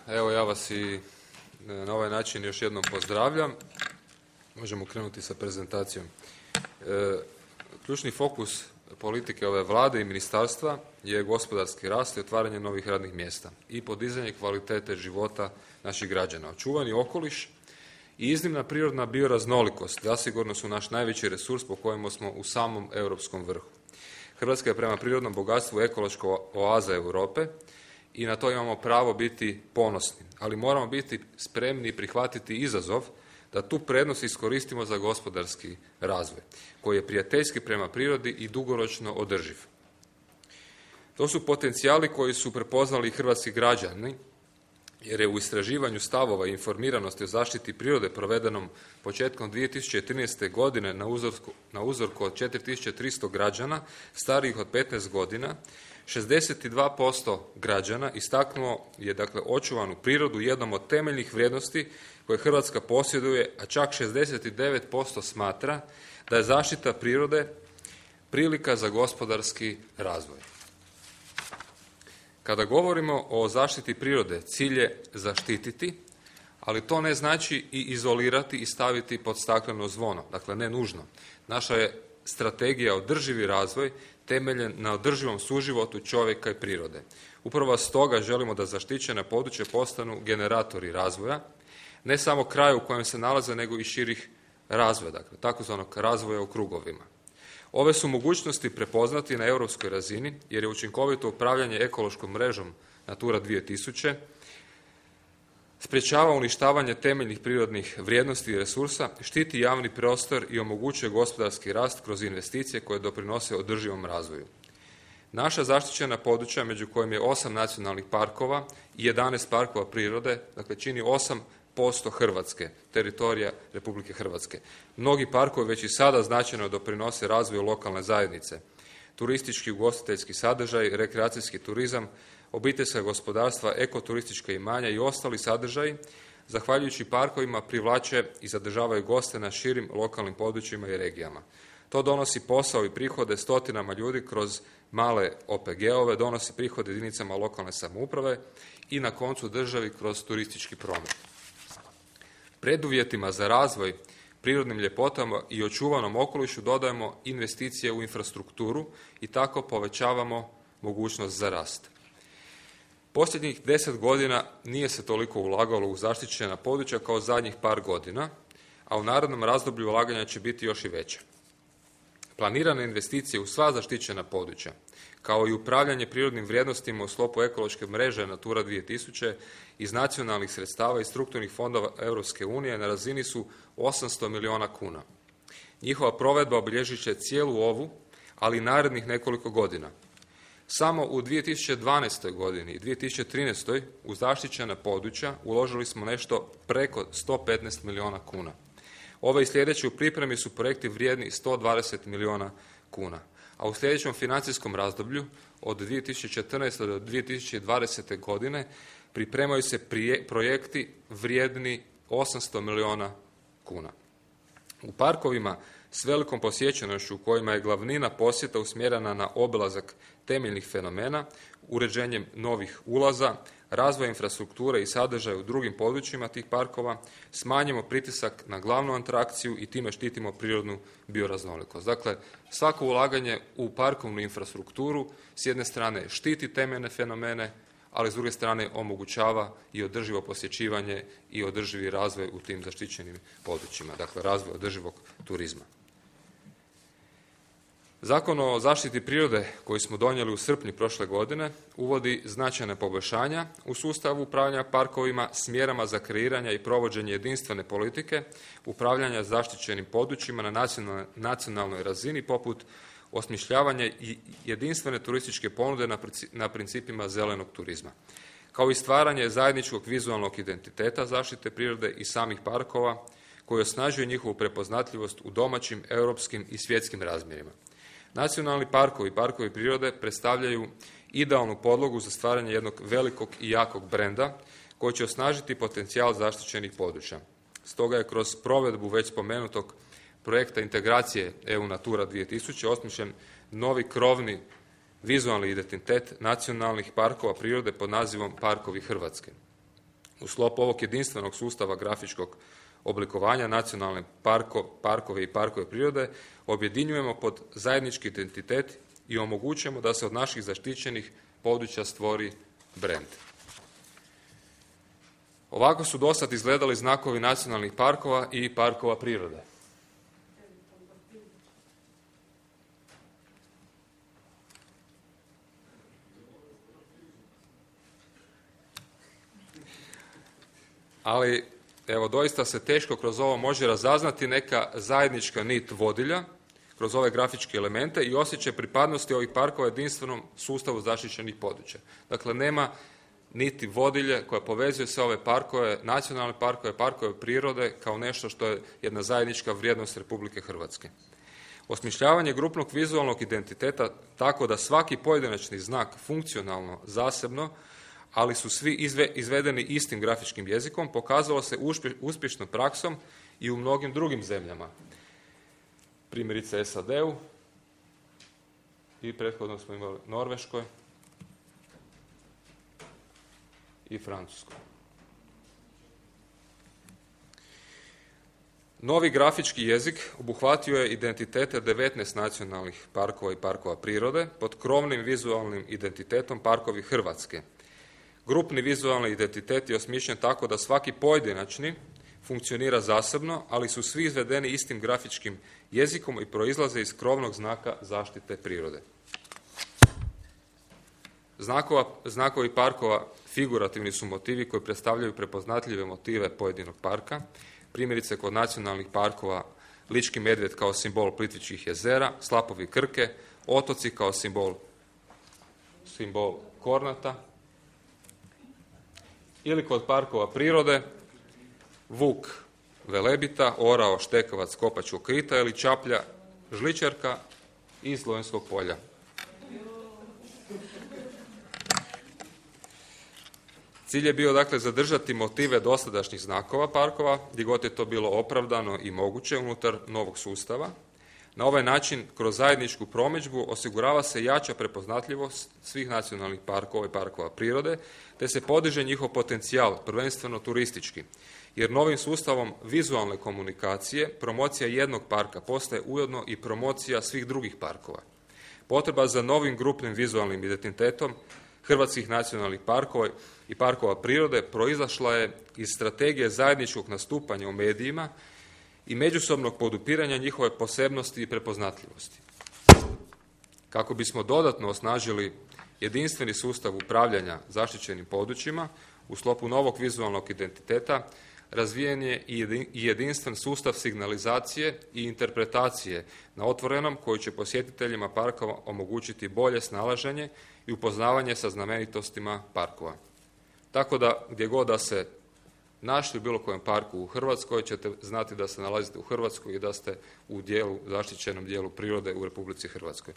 Evo ja vas i na ovaj način još jednom pozdravljam. Možemo krenuti sa prezentacijom. Ključni fokus politike ove vlade i ministarstva je gospodarski rast i otvaranje novih radnih mjesta i podizanje kvalitete života naših građana. Očuvani okoliš i iznimna prirodna bioraznolikost zasigurno su naš najveći resurs po kojemu smo u samom europskom vrhu. Hrvatska je prema prirodnom bogatstvu ekološka oaza Europe i na to imamo pravo biti ponosni, ali moramo biti spremni i prihvatiti izazov da tu prednost iskoristimo za gospodarski razvoj, koji je prijateljski prema prirodi i dugoročno održiv. To su potencijali koji su prepoznali hrvatski građani, jer je u istraživanju stavova i informiranosti o zaštiti prirode provedenom početkom 2013. godine na uzorku od 4300 građana starijih od 15 godina, 62% građana istaknulo je očuvanu prirodu jednom od temeljnih vrijednosti koje Hrvatska posjeduje, a čak 69% smatra da je zaštita prirode prilika za gospodarski razvoj. Kada govorimo o zaštiti prirode, cilj je zaštititi, ali to ne znači i izolirati i staviti pod stakleno zvono, dakle ne nužno. Naša je strategija održivi razvoj temeljen na održivom suživotu čovjeka i prirode. Upravo stoga želimo da zaštićena područja postanu generatori razvoja, ne samo kraju u kojem se nalaze, nego i širih razvoja, dakle takozvanog razvoja u krugovima. Ove su mogućnosti prepoznati na europskoj razini, jer je učinkovito upravljanje ekološkom mrežom Natura 2000 sprječava uništavanje temeljnih prirodnih vrijednosti i resursa, štiti javni prostor i omogućuje gospodarski rast kroz investicije koje doprinose održivom razvoju. Naša zaštićena područja, među kojim je 8 nacionalnih parkova i 11 parkova prirode, dakle čini 8% Hrvatske, teritorija Republike Hrvatske. Mnogi parkovi već i sada značajno doprinose razvoju lokalne zajednice. Turistički, ugostiteljski sadržaj, rekreacijski turizam, obiteljska gospodarstva, ekoturistička imanja i ostali sadržaji, zahvaljujući parkovima, privlače i zadržavaju goste na širim lokalnim područjima i regijama. To donosi posao i prihode stotinama ljudi kroz male OPG-ove, donosi prihode jedinicama lokalne samouprave i na koncu državi kroz turistički promet. Preduvjetima za razvoj prirodnim ljepotama i očuvanom okolišu dodajemo investicije u infrastrukturu i tako povećavamo mogućnost za rast. Posljednjih 10 godina nije se toliko ulagalo u zaštićena područja kao zadnjih par godina, a u narednom razdoblju ulaganja će biti još i veće. Planirane investicije u sva zaštićena područja, kao i upravljanje prirodnim vrijednostima u sklopu ekološke mreže Natura 2000 iz nacionalnih sredstava i strukturnih fondova Europske unije na razini su 800 milijuna kuna. Njihova provedba obilježit će cijelu ovu, ali i narednih nekoliko godina. Samo u 2012. godini i 2013. u zaštićena područja uložili smo nešto preko 115 milijuna kuna. Ove i sljedeće u pripremi su projekti vrijedni 120 milijuna kuna, a u sljedećem financijskom razdoblju od 2014. do 2020. godine pripremaju se projekti vrijedni 800 milijuna kuna. U parkovima s velikom posjećenošću u kojima je glavnina posjeta usmjerena na obilazak temeljnih fenomena, uređenjem novih ulaza, razvoj infrastrukture i sadržaja u drugim područjima tih parkova, smanjimo pritisak na glavnu atrakciju i time štitimo prirodnu bioraznolikost. Dakle, svako ulaganje u parkovnu infrastrukturu s jedne strane štiti temeljne fenomene, ali s druge strane omogućava i održivo posjećivanje i održivi razvoj u tim zaštićenim područjima, dakle razvoj održivog turizma. Zakon o zaštiti prirode koji smo donijeli u srpnju prošle godine uvodi značajna poboljšanja u sustavu upravljanja parkovima s mjerama za kreiranje i provođenje jedinstvene politike, upravljanja zaštićenim područjima na nacionalnoj razini poput osmišljavanja i jedinstvene turističke ponude na principima zelenog turizma, kao i stvaranje zajedničkog vizualnog identiteta zaštite prirode i samih parkova koji osnažuje njihovu prepoznatljivost u domaćim, europskim i svjetskim razmjerima. Nacionalni parkovi i parkovi prirode predstavljaju idealnu podlogu za stvaranje jednog velikog i jakog brenda koji će osnažiti potencijal zaštićenih područja. Stoga je kroz provedbu već spomenutog projekta integracije EU Natura 2000 osmišljen novi krovni vizualni identitet nacionalnih parkova prirode pod nazivom Parkovi Hrvatske. U sklopu ovog jedinstvenog sustava grafičkog oblikovanja nacionalne parkove i parkove prirode objedinjujemo pod zajednički identitet i omogućujemo da se od naših zaštićenih područja stvori brend. Ovako su dosad izgledali znakovi nacionalnih parkova i parkova prirode. Ali, evo, doista se teško kroz ovo može razaznati neka zajednička nit vodilja kroz ove grafičke elemente i osjećaj pripadnosti ovih parkova jedinstvenom sustavu zaštićenih područja. Dakle, nema niti vodilje koja povezuje sve ove parkove, nacionalne parkove, parkove prirode kao nešto što je jedna zajednička vrijednost Republike Hrvatske. Osmišljavanje grupnog vizualnog identiteta tako da svaki pojedinačni znak funkcionalno, zasebno, ali su svi izvedeni istim grafičkim jezikom, pokazalo se uspješnom praksom i u mnogim drugim zemljama. Primjerice SAD-u i prethodno smo imali Norveškoj i Francuskoj. Novi grafički jezik obuhvatio je identitete 19 nacionalnih parkova i parkova prirode pod krovnim vizualnim identitetom Parkovi Hrvatske. Grupni vizualni identitet je osmišljen tako da svaki pojedinačni funkcionira zasebno, ali su svi izvedeni istim grafičkim jezikom i proizlaze iz krovnog znaka zaštite prirode. Znakovi parkova figurativni su motivi koji predstavljaju prepoznatljive motive pojedinog parka. Primjerice kod nacionalnih parkova Lički medvjed kao simbol Plitvičkih jezera, slapovi Krke, otoci kao simbol Kornata. Ili kod parkova prirode vuk Velebita, orao Štekovac Kopačkog krita ili čaplja Žličarka iz Lonjskog polja. Cilj je bio dakle zadržati motive dosadašnjih znakova parkova, gdje god je to bilo opravdano i moguće unutar novog sustava. Na ovaj način, kroz zajedničku promidžbu, osigurava se jača prepoznatljivost svih nacionalnih parkova i parkova prirode, te se podiže njihov potencijal, prvenstveno turistički, jer novim sustavom vizualne komunikacije promocija jednog parka postaje ujedno i promocija svih drugih parkova. Potreba za novim grupnim vizualnim identitetom hrvatskih nacionalnih parkova i parkova prirode proizašla je iz strategije zajedničkog nastupanja u medijima i međusobnog podupiranja njihove posebnosti i prepoznatljivosti. Kako bismo dodatno osnažili jedinstveni sustav upravljanja zaštićenim područjima, u sklopu novog vizualnog identiteta razvijen je i jedinstven sustav signalizacije i interpretacije na otvorenom koji će posjetiteljima parkova omogućiti bolje snalaženje i upoznavanje sa znamenitostima parkova. Tako da gdje god da se našli u bilo kojem parku u Hrvatskoj ćete znati da se nalazite u Hrvatskoj i da ste u zaštićenom dijelu prirode u Republici Hrvatskoj.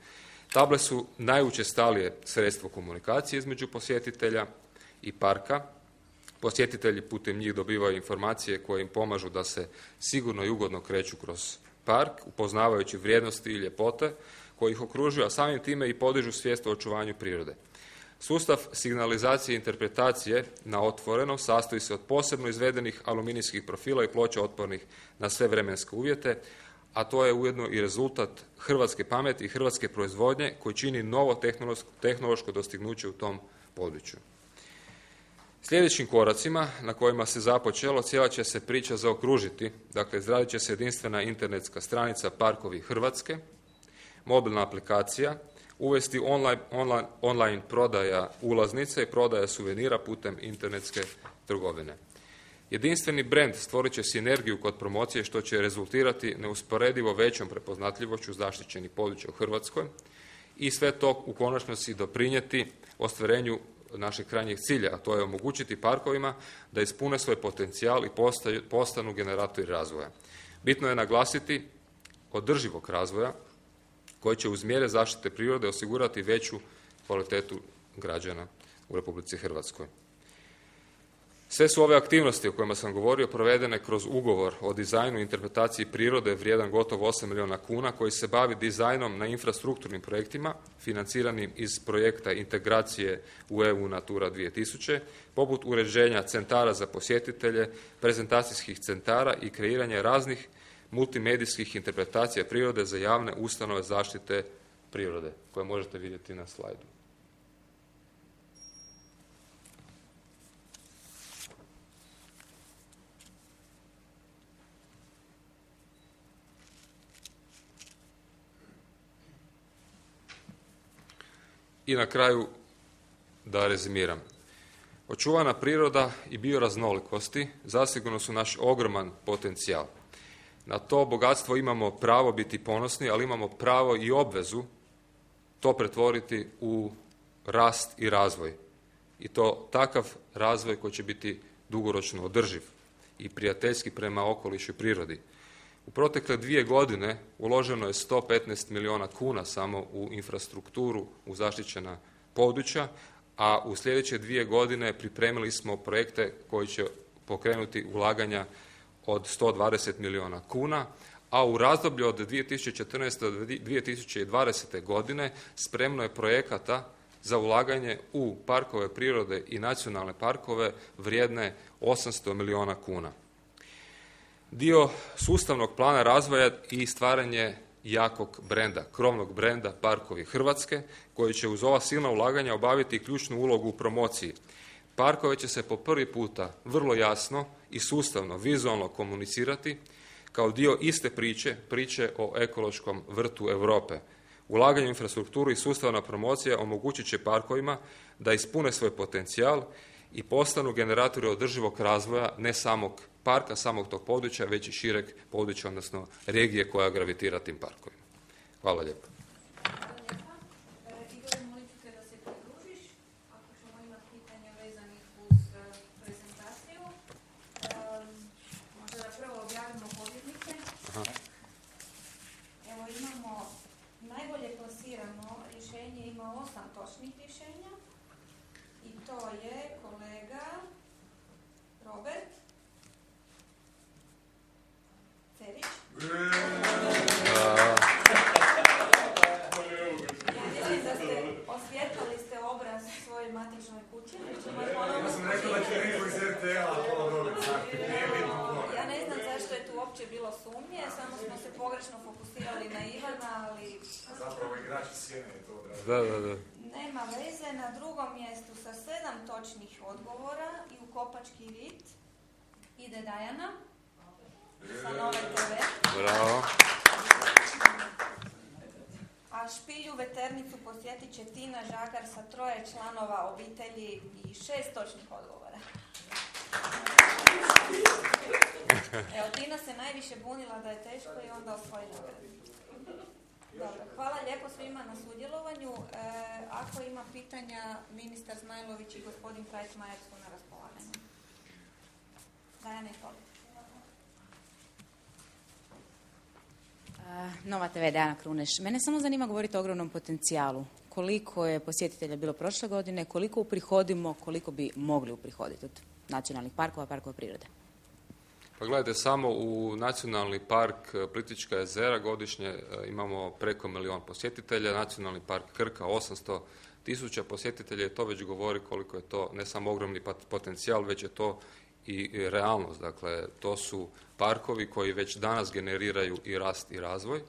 Table su najučestalije sredstvo komunikacije između posjetitelja i parka. Posjetitelji putem njih dobivaju informacije koje im pomažu da se sigurno i ugodno kreću kroz park, upoznavajući vrijednosti i ljepote koje ih okružuju, a samim time i podižu svijest o očuvanju prirode. Sustav signalizacije i interpretacije na otvorenom sastoji se od posebno izvedenih aluminijskih profila i ploča otpornih na sve vremenske uvjete, a to je ujedno i rezultat hrvatske pameti i hrvatske proizvodnje koji čini novo tehnološko dostignuće u tom području. Sljedećim koracima na kojima se započelo cijela će se priča zaokružiti, dakle izradit će se jedinstvena internetska stranica Parkovi Hrvatske, mobilna aplikacija, uvesti online prodaja ulaznice i prodaja suvenira putem internetske trgovine. Jedinstveni brend stvorit će sinergiju kod promocije što će rezultirati neusporedivo većom prepoznatljivošću zaštićenih područja u Hrvatskoj i sve to u konačnosti doprinijeti ostvarenju našeg krajnjeg cilja, a to je omogućiti parkovima da ispune svoj potencijal i postanu generatori razvoja. Bitno je naglasiti održivog razvoja koji će uz mjere zaštite prirode osigurati veću kvalitetu građana u Republici Hrvatskoj. Sve su ove aktivnosti o kojima sam govorio provedene kroz ugovor o dizajnu i interpretaciji prirode vrijedan gotovo 8 milijuna kuna koji se bavi dizajnom na infrastrukturnim projektima financiranim iz projekta integracije u EU Natura 2000, poput uređenja centara za posjetitelje, prezentacijskih centara i kreiranja raznih multimedijskih interpretacija prirode za javne ustanove zaštite prirode, koje možete vidjeti na slajdu. I na kraju da rezimiram. Očuvana priroda i bioraznolikosti zasigurno su naš ogroman potencijal. Na to bogatstvo imamo pravo biti ponosni, ali imamo pravo i obvezu to pretvoriti u rast i razvoj. I to takav razvoj koji će biti dugoročno održiv i prijateljski prema okolišu i prirodi. U protekle 2 godine uloženo je 115 milijuna kuna samo u infrastrukturu, u zaštićena područja, a u sljedeće 2 godine pripremili smo projekte koji će pokrenuti ulaganja od 120 milijuna kuna, a u razdoblju od 2014. do 2020. godine spremno je projekata za ulaganje u parkove prirode i nacionalne parkove vrijedne 800 milijuna kuna. Dio sustavnog plana razvoja i stvaranje jakog brenda, krovnog brenda Parkovi Hrvatske, koji će uz ova silna ulaganja obaviti ključnu ulogu u promociji. Parkove će se po prvi puta vrlo jasno i sustavno, vizualno komunicirati kao dio iste priče o ekološkom vrtu Europe. Ulaganje u infrastrukturu i sustavna promocija omogućit će parkovima da ispune svoj potencijal i postanu generatori održivog razvoja ne samog parka, samog tog područja, već i šireg područja, odnosno regije koja gravitira tim parkovima. Hvala lijepo. Igor, molit ću te da se pridružiš, ako ćemo imati pitanja vezanih uz prezentaciju. Možda da prvo objavimo pobjednike. Evo imamo najbolje plasirano rješenje, ima 8 točnih rješenja i to je kolega Robert Cerić. Ja mislim da ste osvijetlili ste obraz svojoj matičnoj kući. Ja sam rekao da će neko iz RTL-a Ja ne znam zašto je tu uopće bilo sumnje, samo smo se pogrešno fokusirali na Ivana, ali... Zapravo igrači sjene je to odraženo. Da. Nema veze, na drugom mjestu sa 7 točnih odgovora i u Kopački rit ide Dajana sa Nove TV. Bravo. A Špilju veternicu posjetit će Tina Žagar sa 3 članova obitelji i 6 točnih odgovora. Evo, Tina se najviše bunila da je teško i onda osvoji nagradu. Dobro, hvala lijepo svima na sudjelovanju. Ako ima pitanja, ministar Zmajlović i gospodin Krajčmajer su na raspolaganju. Dajana, izvolite. Nova TV, Dajana Kruneš. Mene samo zanima govoriti o ogromnom potencijalu. Koliko je posjetitelja bilo prošle godine, koliko uprihodimo, koliko bi mogli uprihoditi od nacionalnih parkova, parkova prirode? Pa gledajte, samo u nacionalni park Plitvička jezera godišnje imamo preko 1 milijun posjetitelja, nacionalni park Krka 800.000 posjetitelja i to već govori koliko je to ne samo ogromni potencijal, već je to i realnost. Dakle, to su parkovi koji već danas generiraju i rast i razvoj,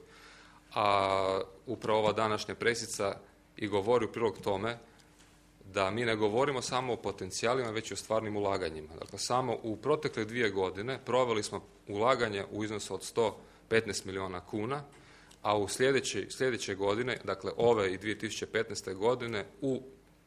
a upravo ova današnja presica i govori u prilog tome da mi ne govorimo samo o potencijalima, već i o stvarnim ulaganjima. Dakle, samo u protekle 2 godine proveli smo ulaganje u iznosu od 115 milijuna kuna, a u sljedeće godine, dakle ove i 2015. godine,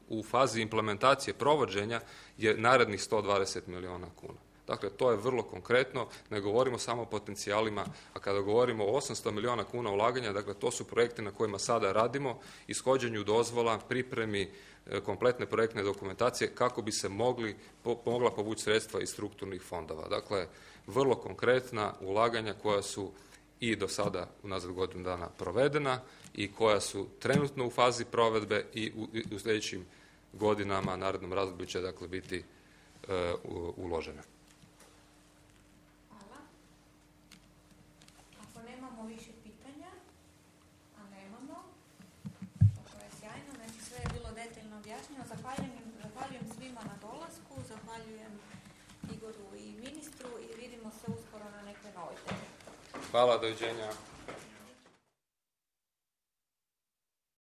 u fazi implementacije provođenja je narednih 120 milijuna kuna. Dakle, to je vrlo konkretno, ne govorimo samo o potencijalima, a kada govorimo o 800 milijuna kuna ulaganja, dakle, to su projekti na kojima sada radimo, ishođenju dozvola, pripremi kompletne projektne dokumentacije kako bi se mogla povući sredstva iz strukturnih fondova. Dakle, vrlo konkretna ulaganja koja su i do sada unazad godinu dana provedena i koja su trenutno u fazi provedbe i u sljedećim godinama, narednom razdoblju će dakle biti uložene. Hvala. Ako nemamo više pitanja, a nemamo, to je sjajno, znači sve je bilo detaljno objašnjeno. Zahvaljujem svima na dolasku, zahvaljujem Igoru i ministru i vidimo se uskoro na nekoj novoj temi. Hvala, doviđenja.